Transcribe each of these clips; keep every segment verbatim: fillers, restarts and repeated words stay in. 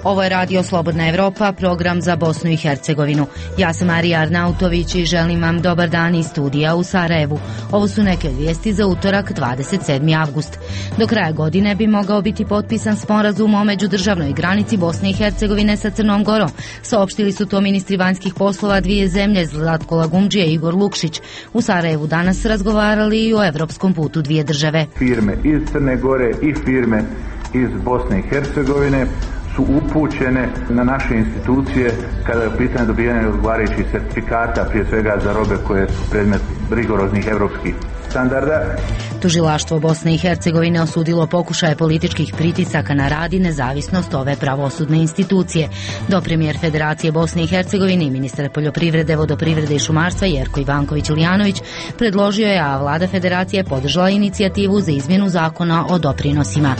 Ovo je Radio Slobodna Evropa, program za Bosnu i Hercegovinu. Ja sam Marija Arnautović i želim vam dobar dan iz studija u Sarajevu. Ovo su neke vijesti za utorak dvadeset sedmi avgust. Do kraja godine bi mogao biti potpisan sporazum o međudržavnoj granici Bosne i Hercegovine sa Crnom Gorom. Saopštili su to ministri vanjskih poslova dvije zemlje, Zlatko Lagumdžija i Igor Lukšić. U Sarajevu danas razgovarali i o evropskom putu dvije države. Firme iz Crne Gore i firme iz Bosne i Hercegovine su upućene na naše institucije kada je pitanje dobijanja odgovarajućih certifikata, prije svega za robe koje su predmet rigoroznih evropskih standarda. Tužilaštvo Bosne i Hercegovine osudilo pokušaje političkih pritisaka na rad i nezavisnost ove pravosudne institucije. Dopremijer Federacije Bosne i Hercegovine i ministar poljoprivrede, vodoprivrede i šumarstva Jerko Ivanković-Lijanović predložio je, a vlada Federacije podržala inicijativu za izmjenu zakona o doprinosima.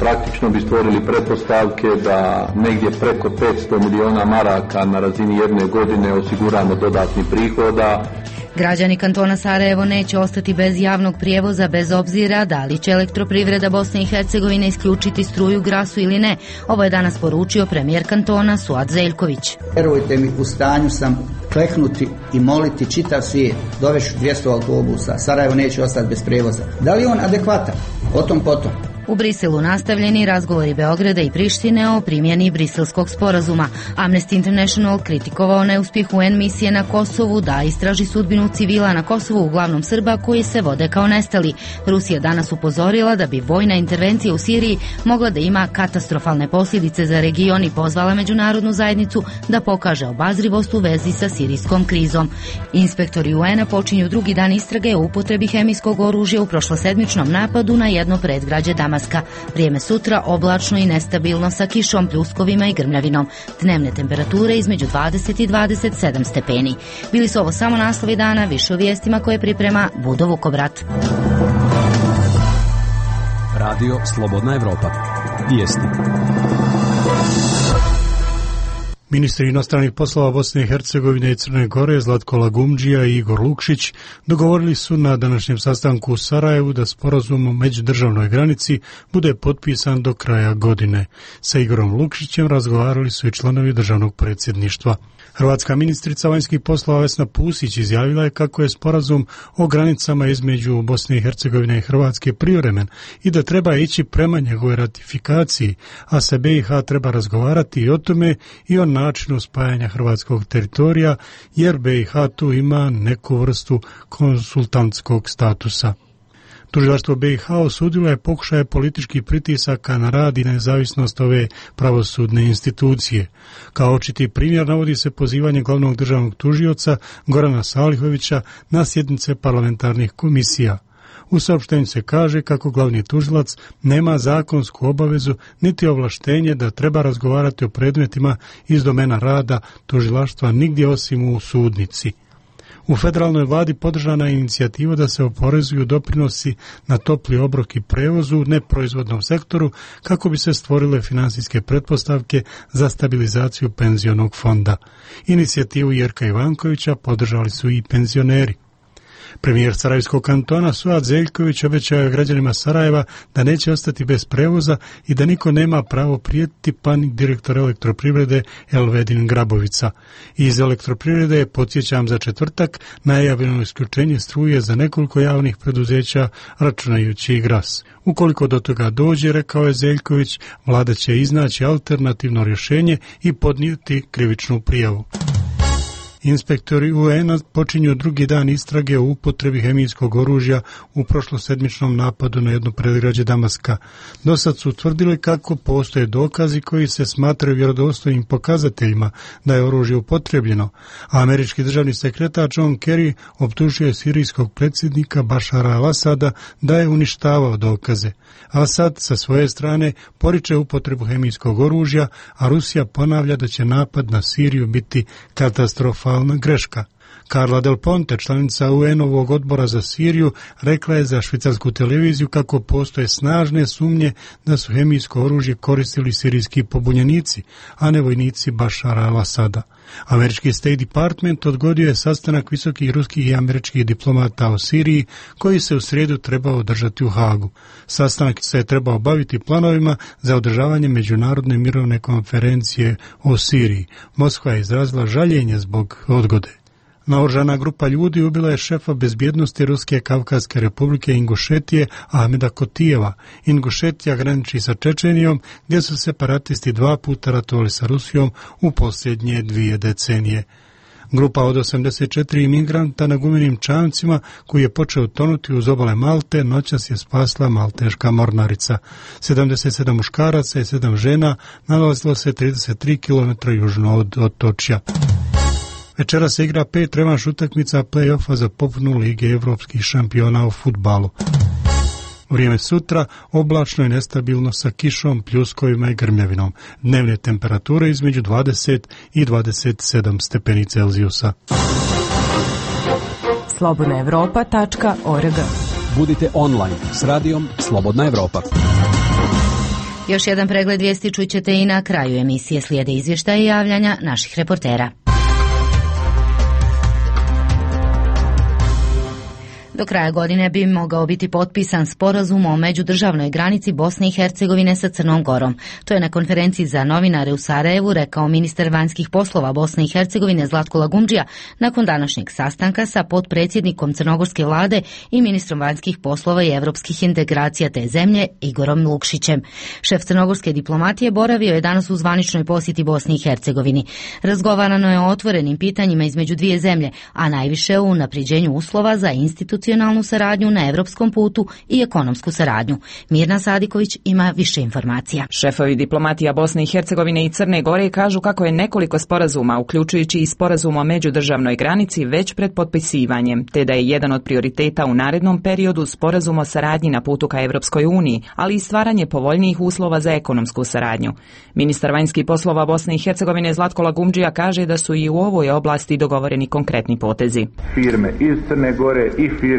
Praktično bi stvorili pretpostavke da negdje preko petsto miliona maraka na razini jedne godine osiguramo dodatni prihoda. Građani kantona Sarajevo neće ostati bez javnog prijevoza bez obzira da li će elektroprivreda Bosne i Hercegovine isključiti struju, grasu ili ne. Ovo je danas poručio premijer kantona Suad Zeljković. Vjerujte mi, u stanju sam kleknuti i moliti čitav svijet, dovešću dvjesto autobusa, Sarajevo neće ostati bez prijevoza. Da li je on adekvatan? O tom potom. U Briselu nastavljeni razgovori Beograda i Prištine o primjeni briselskog sporazuma. Amnesty International kritikovao neuspjeh U N misije na Kosovu da istraži sudbinu civila na Kosovu, uglavnom Srba, koji se vode kao nestali. Rusija danas upozorila da bi vojna intervencija u Siriji mogla da ima katastrofalne posljedice za region i pozvala međunarodnu zajednicu da pokaže obazrivost u vezi sa sirijskom krizom. Inspektori U N-a počinju drugi dan istrage o upotrebi hemijskog oružja u prošlosedmičnom napadu na jedno predgrađe Damaska. Vrijeme sutra oblačno i nestabilno sa kišom, pljuskovima i grmljavinom. Dnevne temperature između dvadeset i dvadeset sedam stepeni. Bili su ovo samo naslovi dana, više o vijestima koje priprema Budo Vukobrat. Radio Slobodna Evropa. Vijesti. Ministri inostranih poslova Bosne i Hercegovine i Crne Gore Zlatko Lagumdžija i Igor Lukšić dogovorili su na današnjem sastanku u Sarajevu da sporazum o međudržavnoj granici bude potpisan do kraja godine. Sa Igorom Lukšićem razgovarali su i članovi državnog predsjedništva. Hrvatska ministrica vanjskih poslova Vesna Pusić izjavila je kako je sporazum o granicama između Bosne i Hercegovine i Hrvatske privremen i da treba ići prema njegove ratifikaciji, a sa B i H treba razgovarati i o tome i o načinu spajanja hrvatskog teritorija, jer B i H tu ima neku vrstu konsultantskog statusa. Tužilaštvo B i H osudilo je pokušaje političkih pritisaka na rad i nezavisnost ove pravosudne institucije. Kao očiti primjer navodi se pozivanje glavnog državnog tužioca Gorana Salihovića na sjednice parlamentarnih komisija. U saopštenju se kaže kako glavni tužilac nema zakonsku obavezu niti ovlaštenje da treba razgovarati o predmetima iz domena rada tužilaštva nigdje osim u sudnici. U federalnoj vladi podržana je inicijativa da se oporezuju doprinosi na topli obrok i prevoz u neproizvodnom sektoru kako bi se stvorile finansijske pretpostavke za stabilizaciju penzionog fonda. Inicijativu Jerka Ivankovića podržali su i penzioneri. Premijer Sarajevskog kantona Suad Zeljković obećao je građanima Sarajeva da neće ostati bez prevoza i da niko nema pravo prijetiti, pa ni direktor elektroprivrede Elvedin Grabovica. Iz elektroprivrede je, podsjećam, za četvrtak najavljeno isključenje struje za nekoliko javnih preduzeća, računajući i Gras. Ukoliko do toga dođe, rekao je Zeljković, vlada će iznaći alternativno rješenje i podnijeti krivičnu prijavu. Inspektori U N-a počinju drugi dan istrage o upotrebi hemijskog oružja u prošlosedmičnom napadu na jedno predgrađe Damaska. Dosad su utvrdili kako postoje dokazi koji se smatraju vjerodostojnim pokazateljima da je oružje upotrebljeno, a američki državni sekretar John Kerry optužio je sirijskog predsjednika Bašara al-Asada da je uništavao dokaze. Asad sa svoje strane poriče upotrebu hemijskog oružja, a Rusija ponavlja da će napad na Siriju biti katastrofalna greška. Carla Del Ponte, članica U N-ovog odbora za Siriju, rekla je za švicarsku televiziju kako postoje snažne sumnje da su hemijsko oružje koristili sirijski pobunjenici, a ne vojnici Bašara al-Asada. Američki State Department odgodio je sastanak visokih ruskih i američkih diplomata o Siriji koji se u srijedu trebao održati u Hagu. Sastanak se je trebao baviti planovima za održavanje međunarodne mirovne konferencije o Siriji. Moskva je izrazila žaljenje zbog odgode. Naoružana grupa ljudi ubila je šefa bezbjednosti Ruske Kavkazske republike Ingušetije Ahmeda Kotijeva. Ingušetija graniči sa Čečenijom, gdje su separatisti dva puta ratovali sa Rusijom u posljednje dvije decenije. Grupa od osamdeset četiri imigranta na gumenim čamcima koji je počeo tonuti uz obale Malte noćas je spasla malteška mornarica. sedamdeset sedam muškaraca i sedam žena nalazilo se trideset tri kilometra južno od otočja. Večera se igra pet revanš utakmica play-offa za popunu Lige evropskih šampiona u fudbalu. Vrijeme sutra oblačno i nestabilno sa kišom, pljuskovima i grmljavinom. Dnevne temperature između dvadeset i dvadeset sedam stepeni Celzijusa. slobodna evropa tačka org. Budite online s radijom Slobodna Evropa. Još jedan pregled vijesti čućete i na kraju emisije. Slijede izvještaje i javljanja naših reportera. Do kraja godine bi mogao biti potpisan sporazum o međudržavnoj granici Bosne i Hercegovine sa Crnom Gorom. To je na konferenciji za novinare u Sarajevu rekao ministar vanjskih poslova Bosne i Hercegovine Zlatko Lagumdžija nakon današnjeg sastanka sa potpredsjednikom crnogorske vlade i ministrom vanjskih poslova i evropskih integracija te zemlje Igorom Lukšićem. Šef crnogorske diplomatije boravio je danas u zvaničnoj posjeti Bosni i Hercegovini. Razgovarano je o otvorenim pitanjima između dvije zemlje, a najviše o unapređenju uslova za institucionalnu saradnju na evropskom putu i ekonomsku saradnju. Mirna Sadiković ima više informacija. Šefovi diplomatija Bosne i Hercegovine i Crne Gore kažu kako je nekoliko sporazuma, uključujući i sporazum o međudržavnoj granici, već pred potpisivanjem, te da je jedan od prioriteta u narednom periodu sporazum o saradnji na putu ka Evropskoj uniji, ali i stvaranje povoljnijih uslova za ekonomsku saradnju. Ministar vanjskih poslova Bosne i Hercegovine Zlatko Lagumdžija kaže da su i u ovoj oblasti dogovoreni konkretni potezi. Firme iz Crne Gore i firme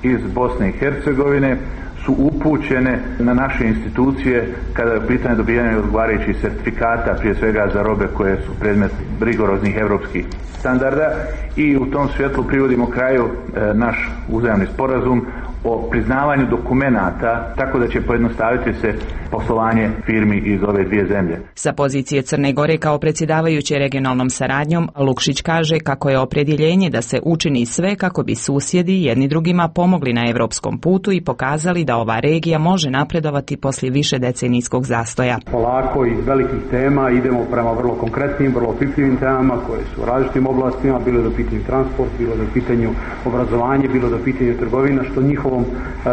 iz Bosne i Hercegovine su upućene na naše institucije kada je pitanje dobijanja odgovarajućih sertifikata, prije svega za robe koje su predmet rigoroznih evropskih standarda, i u tom svjetlu privodimo kraju e, naš uzajamni sporazum o priznavanju dokumenata, tako da će pojednostaviti se poslovanje firmi iz ove dvije zemlje. Sa pozicije Crne Gore kao predsjedavajuće regionalnom saradnjom, Lukšić kaže kako je opredjeljenje da se učini sve kako bi susjedi jedni drugima pomogli na evropskom putu i pokazali da ova regija može napredovati poslije više decenijskog zastoja. Polako iz velikih tema idemo prema vrlo konkretnim, vrlo pipljivim temama koje su u različitim oblastima, bilo do pitanju transport, bilo do pitanju obrazovanje, bilo do pitanju trgovina, što njihovom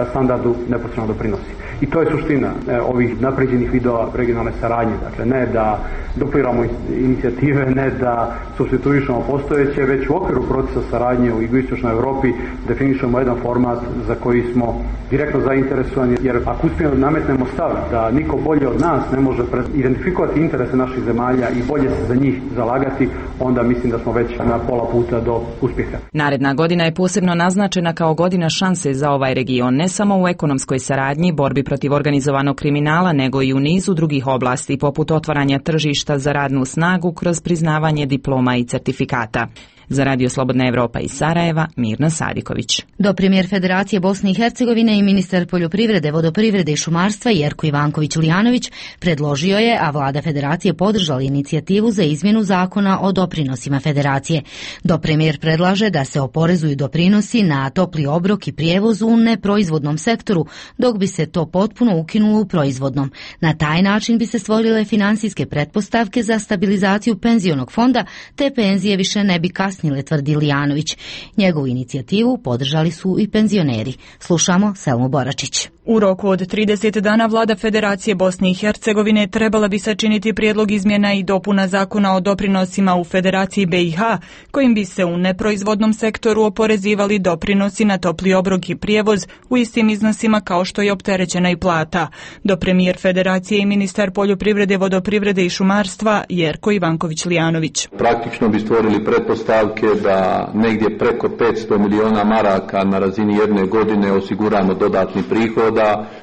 standardu neposredno doprinosi. I to je suština e, ovih napređenih vidova regionalne saradnje. Dakle, ne da dupliramo inicijative, ne da supstituišemo postojeće, već u okviru procesa saradnje u jugoistočnoj Europi definišemo jedan format za koji smo direktno zainteresovani, jer ako uspijemo da nametnemo stav da niko bolje od nas ne može identifikovati interese naših zemalja i bolje se za njih zalagati, onda mislim da smo već na pola puta do uspjeha. Naredna godina je posebno naznačena kao godina šanse za ovaj region, ne samo u ekonomskoj saradnji, borbi protiv organizovanog kriminala, nego i u nizu drugih oblasti, poput otvaranja tržišta za radnu snagu kroz priznavanje diploma i certifikata. Za Radio Slobodna Evropa iz Sarajeva, Mirna Sadiković. Do premijer Federacije Bosne i Hercegovine i ministar poljoprivrede, vodoprivrede i šumarstva Jerko Ivanković Lijanović predložio je, a vlada Federacije podržala inicijativu za izmjenu zakona o doprinosima Federacije. Do premijer predlaže da se oporezuju doprinosi na topli obrok i prijevoz u neproizvodnom sektoru, dok bi se to potpuno ukinulo u proizvodnom. Na taj način bi se stvorile financijske pretpostavke za stabilizaciju penzionog fonda, te penzije više ne bi kasnile, tvrdi Lijanović. Njegovu inicijativu podržali su i penzioneri. Slušamo Selmu Boračić. U roku od trideset dana vlada Federacije Bosne i Hercegovine trebala bi sačiniti prijedlog izmjena i dopuna zakona o doprinosima u Federaciji B i H, kojim bi se u neproizvodnom sektoru oporezivali doprinosi na topli obrok i prijevoz u istim iznosima kao što je opterećena i plata. Do premijer Federacije i ministar poljoprivrede, vodoprivrede i šumarstva Jerko Ivanković-Lijanović. Praktično bi stvorili pretpostavke da negdje preko petsto miliona maraka na razini jedne godine osiguramo dodatni prihod,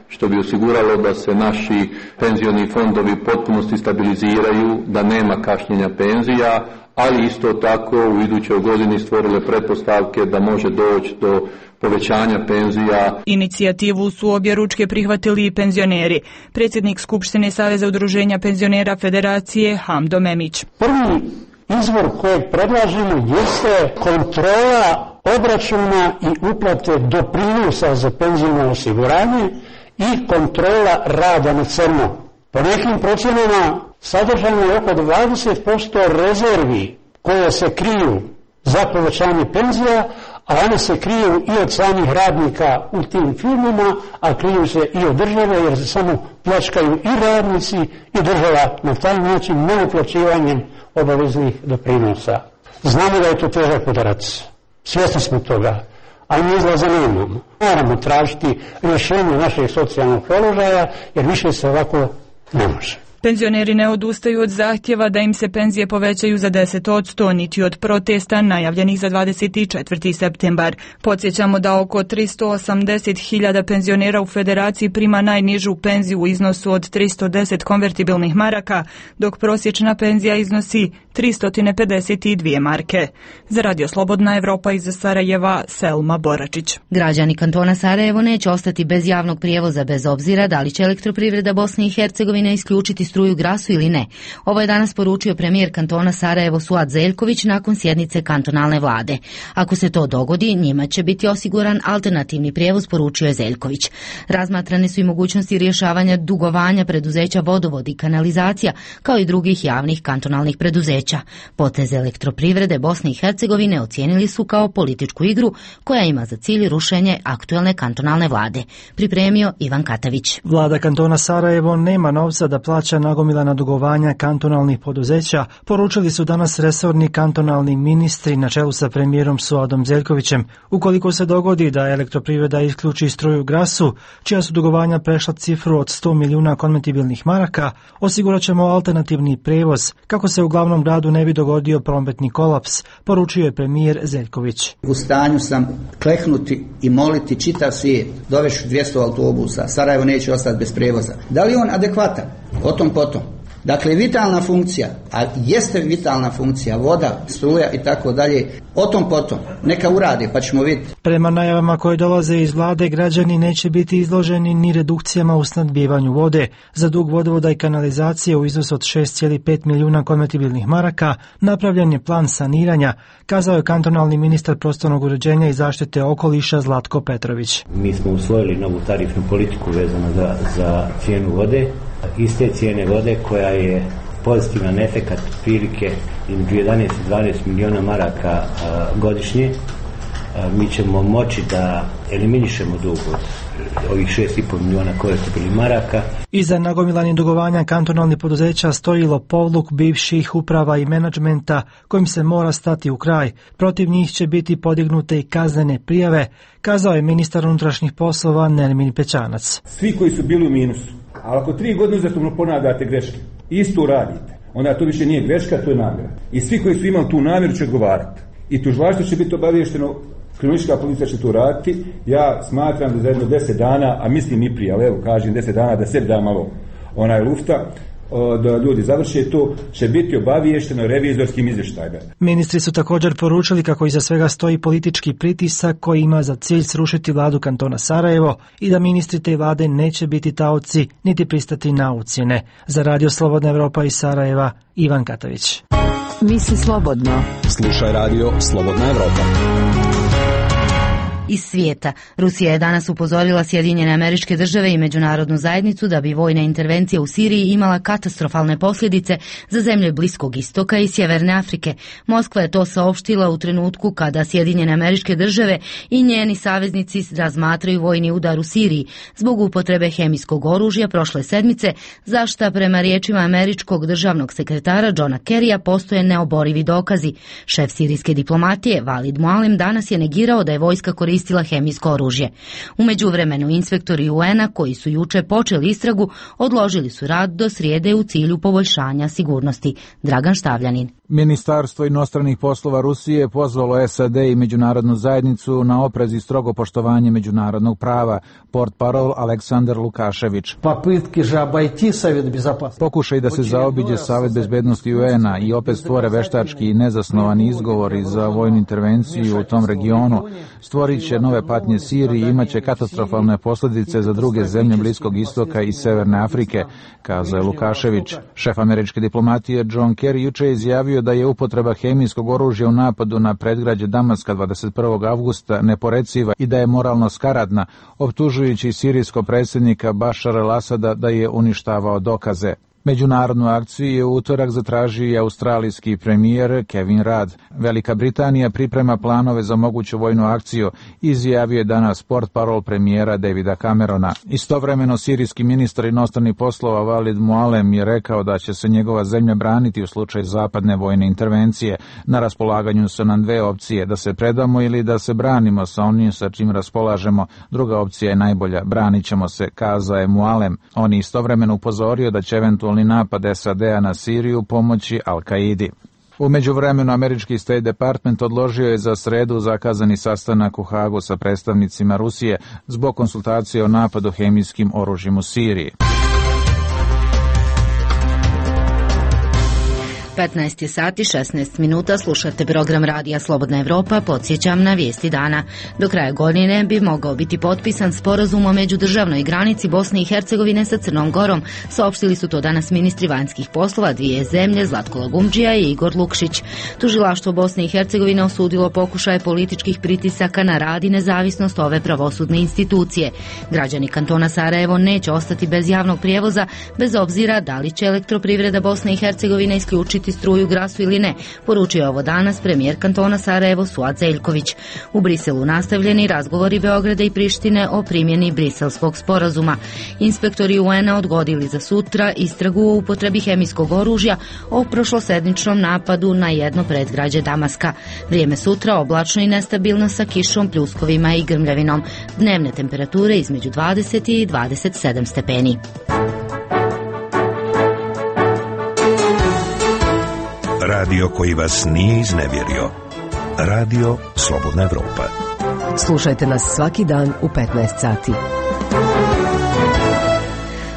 što bi osiguralo da se naši penzioni fondovi u potpunosti stabiliziraju, da nema kašnjenja penzija, ali isto tako u idućoj godini stvorile pretpostavke da može doći do povećanja penzija. Inicijativu su objeručke prihvatili i penzioneri. Predsjednik Skupštine Saveza udruženja penzionera Federacije Hamdo Memić. Prvi izvor kojeg predlažemo jeste kontrola obračuna i uplate doprinosa za penzijno osiguranje i kontrola rada na crno. Po nekim procjenama sadržano je oko dvadeset posto rezervi koje se kriju za povećanje penzija, a one se kriju i od samih radnika u tim firmama, a kriju se i od države jer se samo pljačkaju i radnici i država na taj način neuplaćivanjem obaveznih doprinosa. Znamo da je to težak udarac. Svjesni smo toga, ali mi izlaza nemamo. Moramo tražiti rješenje našeg socijalnog položaja, jer više se ovako ne može. Penzioneri ne odustaju od zahtjeva da im se penzije povećaju za deset posto, niti od protesta najavljenih za dvadeset četvrti septembar. Podsjećamo da oko tristo osamdeset hiljada penzionera u Federaciji prima najnižu penziju u iznosu od tristo deset konvertibilnih maraka, dok prosječna penzija iznosi tristo pedeset dvije marke. Za Radio Slobodna Evropa iz Sarajeva, Selma Boračić. Građani kantona Sarajevo neće ostati bez javnog prijevoza bez obzira da li će Elektroprivreda Bosne i Hercegovine isključiti struju Grasu ili ne. Ovo je danas poručio premijer kantona Sarajevo Suad Zeljković nakon sjednice kantonalne vlade. Ako se to dogodi, njima će biti osiguran alternativni prijevoz, poručio je Zeljković. Razmatrane su i mogućnosti rješavanja dugovanja preduzeća Vodovod i kanalizacija, kao i drugih javnih kantonalnih preduzeća. Poteze Elektroprivrede Bosne i Hercegovine ocijenili su kao političku igru koja ima za cilj rušenje aktuelne kantonalne vlade. Pripremio Ivan Katavić. Vlada kantona Sarajevo nema novca da plaća nagomilana dugovanja kantonalnih poduzeća, poručili su danas resorni kantonalni ministri na čelu sa premijerom Suadom Zeljkovićem. Ukoliko se dogodi da Elektroprivreda isključi struju Grasu, čija su dugovanja prešla cifru od sto milijuna konvertibilnih maraka, osigurat ćemo alternativni prevoz kako se u glavnom gradu ne bi dogodio prometni kolaps, poručio je premijer Zeljković. U stanju sam kleknuti i moliti čitav svijet, dovešću dvjesto autobusa, Sarajevo neće ostati bez prevoza. Da li on adekvatan? O tom potom. Dakle, vitalna funkcija, a jeste vitalna funkcija, voda, struja i tako dalje, o tom potom. Neka urade, pa ćemo vidjeti. Prema najavama koje dolaze iz vlade, građani neće biti izloženi ni redukcijama u snadbijevanju vode. Za dug vodovoda i kanalizacije u iznosu od šest zarez pet milijuna konvertibilnih maraka napravljen je plan saniranja, kazao je kantonalni ministar prostornog uređenja i zaštite okoliša Zlatko Petrović. Mi smo usvojili novu tarifnu politiku vezano za, za cijenu vode. Iste cijene vode koja je pozitivan efekat prilike između jedanaest i dvanaest milijuna maraka a, godišnje, a, mi ćemo moći da eliminišemo dug od ovih šest zarez pet milijuna konvertibilnih maraka. Iza nagomilanih dugovanja kantonalnih poduzeća stoji lopovluk bivših uprava i menadžmenta kojim se mora stati u kraj. Protiv njih će biti podignute i kaznene prijave, kazao je ministar unutrašnjih poslova Nermin Pećanac. Svi koji su bili u minusu, ali ako tri godine uzastopno ponavljate greške, isto radite, onda to više nije greška, to je namjera. I svi koji su imali tu namjeru će odgovarati. I tužilaštvo će biti obavješteno, kriminalistička policija će to raditi. Ja smatram da za jedno deset dana, a mislim i prije, ali evo kažem deset dana da sebi da malo onaj lufta, da ljudi završe to, će biti obaviješteno revizorskim izvještajima. Ministri su također poručili kako iza svega stoji politički pritisak koji ima za cilj srušiti vladu kantona Sarajevo i da ministri te vlade neće biti taoci niti pristati na ucjene. Za Radio Slobodna Evropa iz Sarajeva, Ivan Katavić. Misli slobodno. Slušaj Radio Slobodna Evropa. Iz svijeta. Rusija je danas upozorila Sjedinjene Američke Države i međunarodnu zajednicu da bi vojna intervencija u Siriji imala katastrofalne posljedice za zemlje Bliskog istoka i Sjeverne Afrike. Moskva je to saopštila u trenutku kada Sjedinjene Američke Države i njeni saveznici razmatraju vojni udar u Siriji zbog upotrebe hemijskog oružja prošle sedmice, za šta prema riječima američkog državnog sekretara Johna Kerrya postoje neoborivi dokazi. Šef sirijske diplomatije Walid Mualem danas je negirao da je vojska koristila hemijsko oružje. U međuvremenu inspektori U N-a koji su juče počeli istragu odložili su rad do srijede u cilju poboljšanja sigurnosti. Dragan Štavljanin. Ministarstvo inostranih poslova Rusije pozvalo S A D i međunarodnu zajednicu na oprez i strogo poštovanje međunarodnog prava. Portparol Aleksandar Lukašević. Pokušaj da se zaobiđe Savet bezbednosti U N-a i opet stvore veštački i nezasnovani izgovori za vojnu intervenciju u tom regionu stvorit će nove patnje Siriji i imaće katastrofalne posljedice za druge zemlje Bliskog istoka i Severne Afrike, kazao je Lukašević. Šef američke diplomatije John Kerry juče je izjavio da je upotreba hemijskog oružja u napadu na predgrađe Damaska dvadeset prvog avgusta neporeciva i da je moralno skaradna, optužujući sirijskog predsjednika Bašara al-Asada da je uništavao dokaze. Međunarodnu akciju je u utorak zatražio i australijski premijer Kevin Rudd. Velika Britanija priprema planove za moguću vojnu akciju, izjavio je danas portparol premijera Davida Camerona. Istovremeno sirijski ministar inostranih poslova Walid Mualem je rekao da će se njegova zemlja braniti u slučaju zapadne vojne intervencije. Na raspolaganju su nam dve opcije, da se predamo ili da se branimo sa onim sa čim raspolažemo. Druga opcija je najbolja, branit ćemo se, kazao je Mualem. On je istovremeno upozorio da će eventualno napad S A D-a na Siriju pomoći Al-Kaidi. U međuvremenu američki State Department odložio je za sredu zakazani sastanak u Hagu sa predstavnicima Rusije zbog konsultacije o napadu hemijskim oružjem u Siriji. petnaest je sati šesnaest minuta, slušate program Radija Slobodna Evropa, podsjećam na vijesti dana. Do kraja godine bi mogao biti potpisan sporazum o međudržavnoj granici Bosne i Hercegovine sa Crnom Gorom. Saopštili su to danas ministri vanjskih poslova dvije zemlje, Zlatko Lagumdžija i Igor Lukšić. Tužilaštvo Bosne i Hercegovine osudilo pokušaje političkih pritisaka na rad i nezavisnost ove pravosudne institucije. Građani kantona Sarajevo neće ostati bez javnog prijevoza, bez obzira da li će elektroprivreda Bosne i Hercegovine isključiti struju Grasu ili ne, poručio je ovo danas premijer kantona Sarajevo Suad Zeljković. U Briselu nastavljeni razgovori Beograda i Prištine o primjeni Briselskog sporazuma. Inspektori U N-a odgodili za sutra istragu o upotrebi hemijskog oružja o prošlosedmičnom napadu na jedno predgrađe Damaska. Vrijeme sutra oblačno i nestabilno sa kišom, pljuskovima i grmljavinom. Dnevne temperature između dvadeset i dvadeset sedam stepeni. Radio koji vas nije iznevjerio. Radio Slobodna Evropa. Slušajte nas svaki dan u petnaest sati.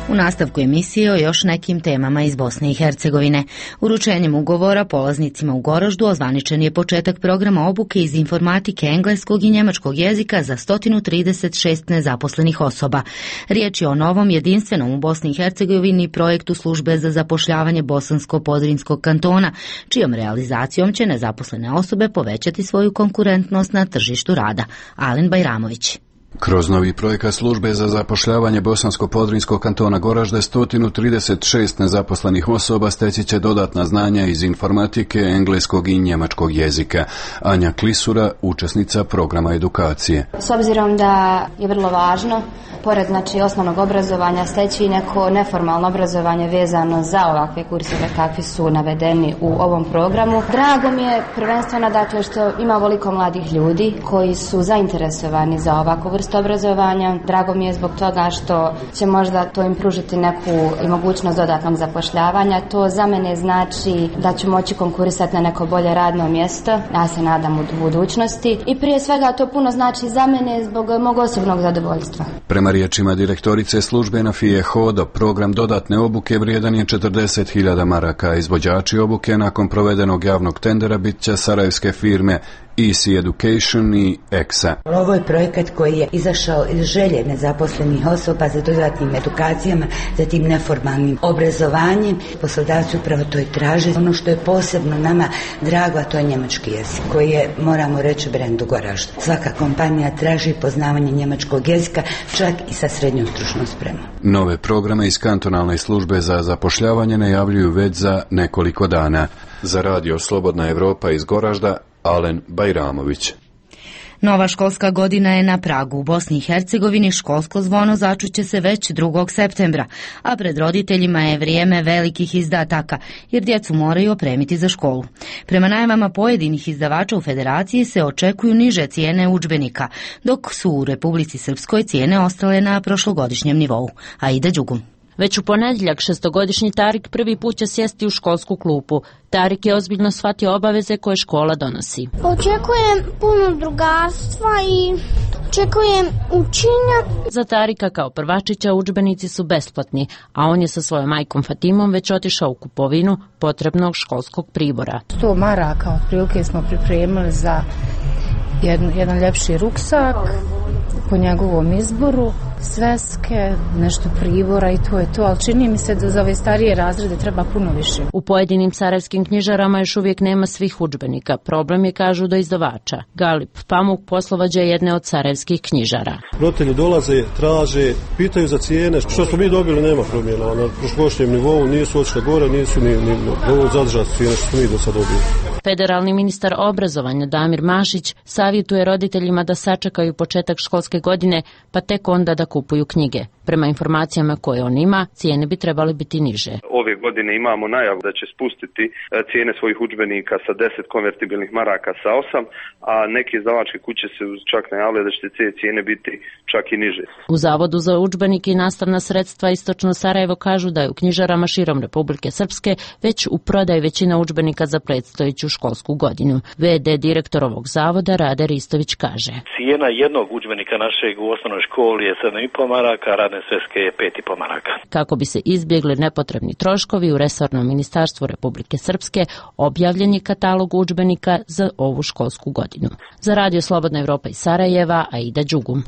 U nastavku emisije o još nekim temama iz Bosne i Hercegovine. Uručenjem ugovora polaznicima u Goraždu ozvaničen je početak programa obuke iz informatike engleskog i njemačkog jezika za sto trideset šest nezaposlenih osoba. Riječ je o novom jedinstvenom u Bosni i Hercegovini projektu službe za zapošljavanje Bosansko-Podrinskog kantona, čijom realizacijom će nezaposlene osobe povećati svoju konkurentnost na tržištu rada. Alen Bajramović. Kroz novi projekat službe za zapošljavanje Bosansko-Podrinskog kantona Goražde sto trideset šest nezaposlenih osoba steći će dodatna znanja iz informatike, engleskog i njemačkog jezika. Anja Klisura, učesnica programa edukacije. S obzirom da je vrlo važno, pored znači osnovnog obrazovanja, steći neko neformalno obrazovanje vezano za ovakve kurseve kakvi su navedeni u ovom programu. Drago mi je prvenstveno dakle što ima ovoliko mladih ljudi koji su zainteresovani za ovakvu vrstu obrazovanja. Drago mi je zbog toga što će možda to im pružiti neku i mogućnost dodatnog zapošljavanja. To za mene znači da ću moći konkurisati na neko bolje radno mjesto. Ja se nadam u budućnosti. I prije svega to puno znači za mene zbog mog osobnog zadovoljstva. Prema riječima direktorice službe Nafije Hodo, program dodatne obuke vrijedan je četrdeset hiljada maraka. Izvođači obuke nakon provedenog javnog tendera bit će sarajevske firme Easy Education i E X A. Ovo je projekat koji je izašao iz želje nezaposlenih osoba za dodatnim edukacijama, za tim neformalnim obrazovanjem. Poslodavci upravo to i traže. Ono što je posebno nama drago, a to je njemački jezik, koji je, moramo reći, brend u Goraždu. Svaka kompanija traži poznavanje njemačkog jezika, čak i sa srednjom stručnom spremom. Nove programe iz kantonalne službe za zapošljavanje najavljuju već za nekoliko dana. Za radio Slobodna Evropa iz Goražda, Alen Bajramović. Nova školska godina je na pragu. U Bosni i Hercegovini školsko zvono začuće se već drugog septembra, a pred roditeljima je vrijeme velikih izdataka, jer djecu moraju opremiti za školu. Prema najavama pojedinih izdavača u Federaciji se očekuju niže cijene udžbenika, dok su u Republici Srpskoj cijene ostale na prošlogodišnjem nivou. Aida Đugum. Već u ponedjeljak šestogodišnji Tarik prvi put će sjesti u školsku klupu. Tarik je ozbiljno shvatio obaveze koje škola donosi. Očekujem puno drugarstva i očekujem učenja. Za Tarika kao prvačića udžbenici su besplatni, a on je sa svojom majkom Fatimom već otišao u kupovinu potrebnog školskog pribora. sto maraka otprilike smo pripremili za jedan, jedan ljepši ruksak po njegovom izboru, sveske, nešto pribora i to je to, ali čini mi se da za ove starije razrede treba puno više. U pojedinim sarajevskim knjižarama još uvijek nema svih udžbenika. Problem je, kažu, do izdavača. Galip Pamuk poslovođa je jedne od sarajevskih knjižara. Roditelji dolaze, traže, pitaju za cijene. Što smo mi dobili nema promjena. Na prošlogošnjem nivou nisu otišle gore, nisu ni, ni dovoljno zadržati cijene što smo mi do sad dobili. Federalni ministar obrazovanja Damir Mašić savjetuje roditeljima da sačekaju početak školske godine, pa tek onda da kupuju knjige. Prema informacijama koje on ima, cijene bi trebali biti niže. Ove godine imamo najavu da će spustiti cijene svojih udžbenika sa deset konvertibilnih maraka sa osam, a neke izdavačke kuće se čak najavile da će te cijene biti čak i niže. U Zavodu za udžbenike i nastavna sredstva Istočno Sarajevo kažu da je u knjižarama širom Republike Srpske već u prodaji većina udžbenika za predstojeću školsku godinu. V D direktor ovog zavoda Rade Ristović kaže: Cijena jednog udžbenika našeg u osnovnoj školi je sedam i po maraka, radne sveske je pet i po maraka. Kako bi se izbjegli nepotrebni troškovi, u resornom ministarstvu Republike Srpske objavljen je katalog udžbenika za ovu školsku godinu. Za radio Slobodna Evropa iz Sarajeva, Aida Đugum.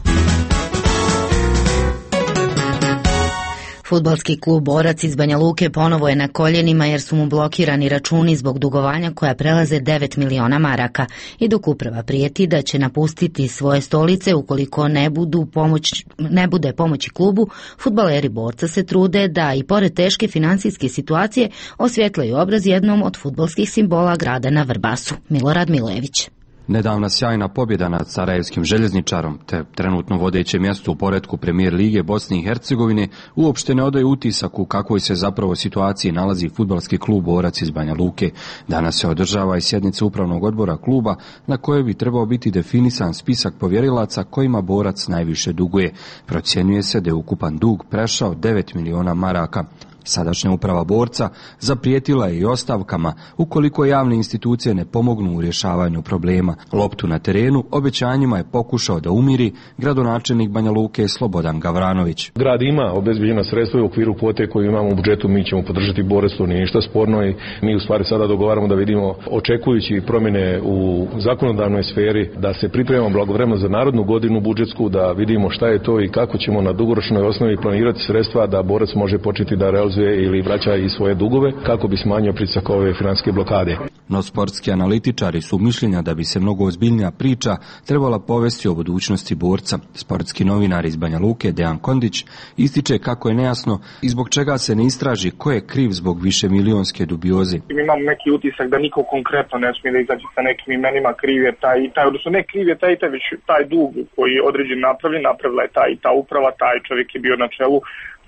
Fudbalski klub Borac iz Banja Luke ponovo je na koljenima jer su mu blokirani računi zbog dugovanja koja prelaze devet miliona maraka. I dok uprava prijeti da će napustiti svoje stolice ukoliko ne, budu pomoć, ne bude pomoći klubu, fudbaleri Borca se trude da i pored teške financijske situacije osvjetlaju obraz jednom od fudbalskih simbola grada na Vrbasu. Milorad Milević. Nedavna sjajna pobjeda nad sarajevskim željezničarom, te trenutno vodeće mjesto u poretku Premijer Lige Bosne i Hercegovine, uopšte ne odaje utisak u kakvoj se zapravo situaciji nalazi fudbalski klub Borac iz Banja Luke. Danas se održava i sjednica upravnog odbora kluba na kojoj bi trebao biti definisan spisak povjerilaca kojima Borac najviše duguje. Procjenjuje se da je ukupan dug prešao devet miliona maraka. Sadašnja uprava Borca zaprijetila je i ostavkama ukoliko javne institucije ne pomognu u rješavanju problema. Loptu na terenu obećanjima je pokušao da umiri gradonačelnik Banja Luke Slobodan Gavranović. Grad ima obezbeđena sredstva u okviru kvote koju imamo u budžetu, mi ćemo podržati Borac, to nije ništa sporno i mi u stvari sada dogovaramo da vidimo, očekujući promjene u zakonodavnoj sferi, da se pripremamo blagovremeno za narodnu godinu budžetsku, da vidimo šta je to i kako ćemo na dugoročnoj osnovi planirati sredstva da Borac može početi da realizuje ili vraća i svoje dugove kako bi smanjio pritisak ove financijske blokade. No sportski analitičari su mišljenja da bi se mnogo ozbiljnija priča trebala povesti o budućnosti Borca. Sportski novinar iz Banja Luke Dejan Kondić ističe kako je nejasno i zbog čega se ne istraži ko je kriv zbog više milionske dubioze. Imam neki utisak da niko konkretno ne smije da izađe sa nekim imenima, kriv je taj i taj, odnosno ne kriv je taj i taj, već taj dug koji je određen napravljen, napravila je taj i ta uprava, taj čovjek je bio na čelu.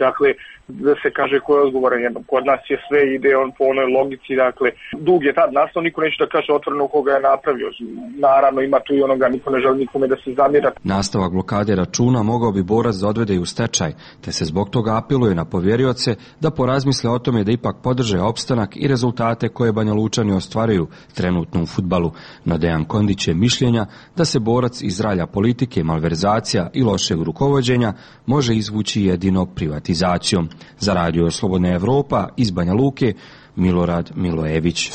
Dakle, da se kaže ko je odgovoran jednom. Kod nas je sve ide on po onoj logici, dakle, dug je tad nastao, niko neće da kaže otvoreno koga je napravio. Naravno, ima tu i onoga, niko ne želi nikome da se zamjera. Nastavak blokade računa mogao bi Borac da odvede i u stečaj, te se zbog toga apeluje na povjerioce da porazmisle o tome da ipak podrže opstanak i rezultate koje Banja Lučani ostvaruju trenutno u fudbalu. No Dejan Kondić je mišljenja da se Borac iz ralja politike, malverzacija i lošeg rukovođenja može izvući jedino privatizacijom. Za radio Slobodna Evropa iz Banja Luke, Milorad Milojević.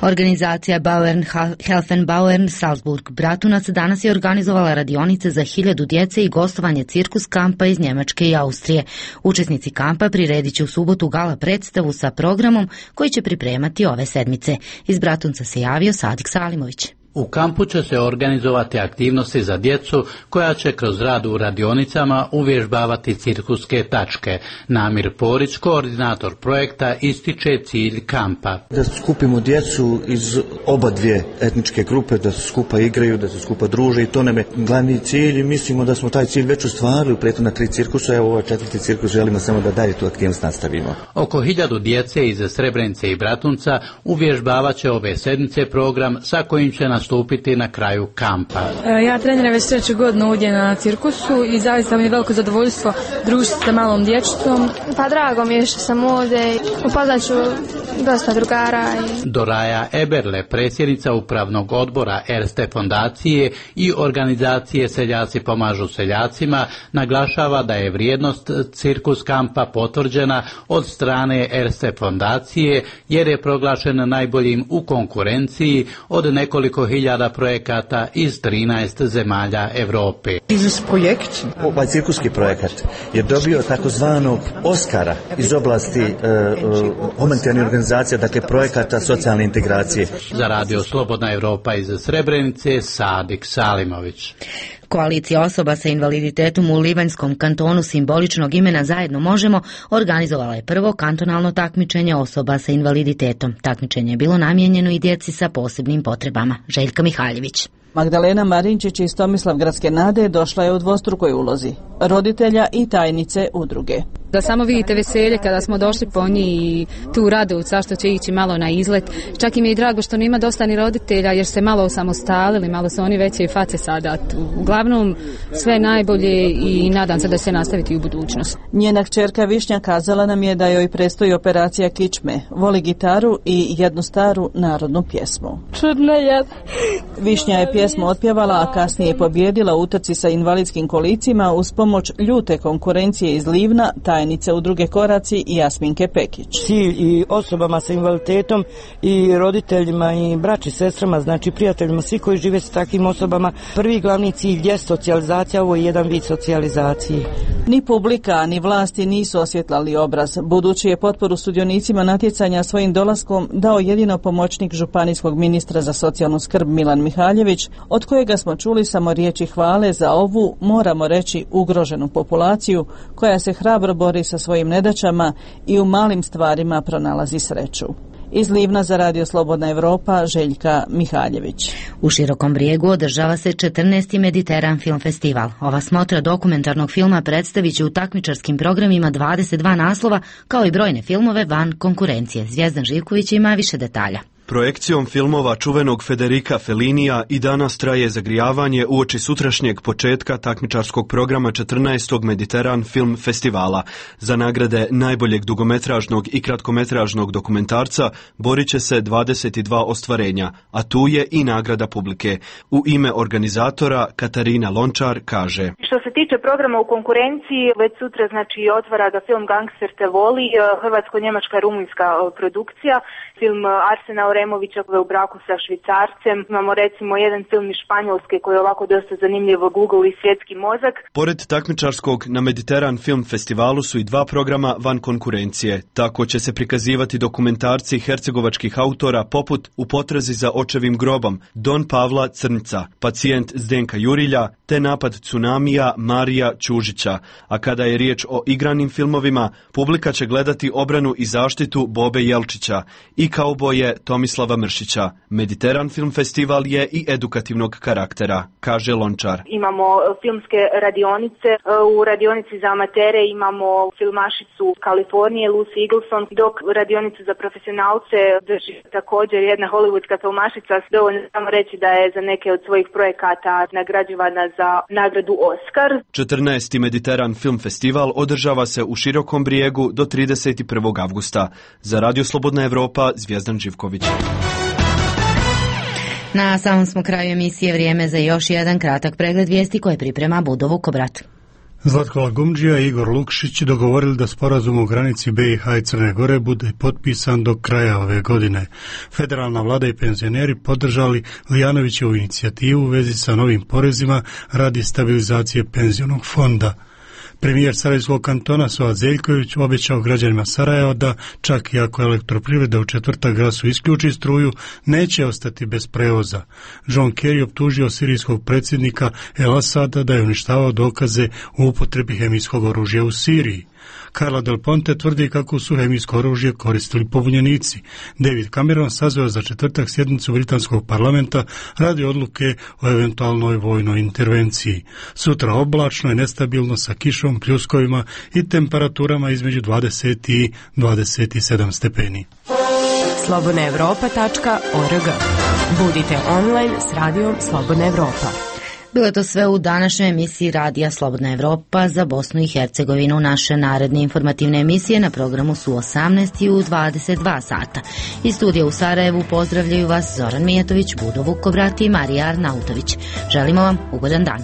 Organizacija Bauern Helfen-Bauern Salzburg-Bratunac danas je organizovala radionice za hiljadu djece i gostovanje cirkus kampa iz Njemačke i Austrije. Učesnici kampa priredit će u subotu gala predstavu sa programom koji će pripremati ove sedmice. Iz Bratunca se javio Sadik Salimović. U kampu će se organizovati aktivnosti za djecu koja će kroz rad u radionicama uvježbavati cirkuske tačke. Namir Porić, koordinator projekta, ističe cilj kampa. Da skupimo djecu iz oba dvije etničke grupe, da se skupa igraju, da se skupa druže i to nam je glavni cilj i mislimo da smo taj cilj već ostvarili u prethodna tri cirkusa. Evo ovaj četvrti cirkus želimo samo da dalje tu aktivnost nastavimo. Oko hiljadu djece iz Srebrenice i Bratunca uvježbavat će ove sedmice program sa kojim će nastupiti na kraju kampa. Ja treniram već treću godinu ovdje na cirkusu i zaista mi je veliko zadovoljstvo družiti sa malom dječicom. Pa drago mi je što sam ovdje, upoznat ću dosta drugara. I... Doraja Eberle, predsjednica upravnog odbora Erste fondacije i organizacije Seljaci pomažu seljacima, naglašava da je vrijednost cirkus kampa potvrđena od strane Erste fondacije jer je proglašen najboljim u konkurenciji od nekoliko hiljada projekata iz trinaest zemalja Europe. Ovaj cirkuski projekat je dobio takozvanog Oskara iz oblasti uh, uh, humanitarnih organizacija, dakle projekata socijalne integracije. Za Radio Slobodna Europa iz Srebrenice, Sadik Salimović. Koalicija osoba sa invaliditetom u Livanjskom kantonu simboličnog imena Zajedno možemo organizovala je prvo kantonalno takmičenje osoba sa invaliditetom. Takmičenje je bilo namijenjeno i djeci sa posebnim potrebama. Željka Mihaljević. Magdalena Marinčić iz Tomislavgradske nade došla je u dvostrukoj ulozi, roditelja i tajnice udruge. Da samo vidite veselje kada smo došli po njih i tu Radovca što će ići malo na izlet. Čak i mi je drago što nema dosta ni roditelja jer se malo osamostalili, malo su oni veće i face sada. Uglavnom sve najbolje i nadam se da će se nastaviti u budućnost. Njena kćerka Višnja kazala nam je da joj predstoji operacija kičme, voli gitaru i jednu staru narodnu pjesmu. Čudna je. Višnja je pjesmu otpjevala, a kasnije je pobjedila u utrci sa invalidskim kolicima uz pomoć ljute konkurencije iz Livna, tajnice udruge Koraci i Jasminke Pekić. Cilj i osobama sa invaliditetom i roditeljima i braći, sestrama, znači prijateljima, svi koji žive s takvim osobama, prvi glavni cilj je socijalizacija, ovo je jedan vid socijalizacije. Ni publika, ni vlasti nisu osvjetlali obraz, budući je potporu sudionicima natjecanja svojim dolaskom dao jedino pomoćnik županijskog ministra za socijalnu skrb Milan Mihaljević, od kojega smo čuli samo riječi hvale za ovu, moramo reći, ugroženu populaciju koja se hrabro bori sa svojim nedaćama i u malim stvarima pronalazi sreću. Iz Livna za Radio Slobodna Europa, Željka Mihaljević. U Širokom Brijegu održava se četrnaesti Mediteran film festival. Ova smotra dokumentarnog filma predstavit će u takmičarskim programima dvadeset dva naslova, kao i brojne filmove van konkurencije. Zvijezdan Živković ima više detalja. Projekcijom filmova čuvenog Federica Fellinija i danas traje zagrijavanje uoči sutrašnjeg početka takmičarskog programa četrnaestog Mediteran film festivala. Za nagrade najboljeg dugometražnog i kratkometražnog dokumentarca borit će se dvadeset dva ostvarenja, a tu je i nagrada publike. U ime organizatora Katarina Lončar kaže: Što se tiče programa u konkurenciji, već sutra znači otvara ga film Gangster te voli, hrvatsko-njemačka rumunjska produkcija, film Arsenal Removića koji je u braku sa Švicarcem. Imamo recimo jedan film iz Španjolske koji je ovako dosta zanimljivo, Google i svjetski mozak. Pored takmičarskog na Mediteran film festivalu su i dva programa van konkurencije. Tako će se prikazivati dokumentarci hercegovačkih autora poput U potrazi za očevim grobom, Don Pavla Crnca, Pacijent Zdenka Jurilja, te Napad tsunamija Marija Ćužića. A kada je riječ o igranim filmovima, publika će gledati obranu i zaštitu Bobe Jelčića i Kauboje Tomislava Mršića. Mediteran film festival je i edukativnog karaktera, kaže Lončar. Imamo filmske radionice. U radionici za amatere imamo filmašicu Kalifornije, Lucy Eagleson, dok radionicu za profesionalce drži također jedna hollywoodska filmašica. Dovoljno samo reći da je za neke od svojih projekata nagrađivana za nagradu Oscar. četrnaesti Mediteran film festival održava se u Širokom Brijegu do trideset prvog avgusta. Za Radio Slobodna Europa, Zvijezdan Živković. Na samom smo kraju emisije, vrijeme za još jedan kratak pregled vijesti koje priprema Budo Vukobrat. Zlatko Lagumdžija i Igor Lukšić dogovorili da sporazum o granici B i H i Crne Gore bude potpisan do kraja ove godine. Federalna vlada i penzioneri podržali Lijanovićevu inicijativu u vezi sa novim porezima radi stabilizacije penzionog fonda. Premijer Sarajevskog kantona Suad Zeljković obećao građanima Sarajeva da čak i ako elektroprivreda u četvrtak Grasu isključi struju, neće ostati bez prevoza. John Kerry optužio sirijskog predsjednika El Asada da je uništavao dokaze o upotrebi hemijskog oružja u Siriji. Carla Del Ponte tvrdi kako su hemijsko oružje koristili pobunjenici. David Cameron sazvao za četvrtak sjednicu britanskog parlamenta radi odluke o eventualnoj vojnoj intervenciji. Sutra oblačno i nestabilno sa kišom, pljuskovima i temperaturama između dvadeset i dvadeset sedam stepeni. slobodna evropa tačka org. Budite online s radijom Slobodna Evropa. Bilo je to sve u današnjoj emisiji Radija Slobodna Evropa za Bosnu i Hercegovinu. Naše naredne informativne emisije na programu su osamnaest i u dvadeset dva sata. Iz studija u Sarajevu pozdravljaju vas Zoran Mijatović, Budo Vukobrati i Marija Arnautović. Želimo vam ugodan dan.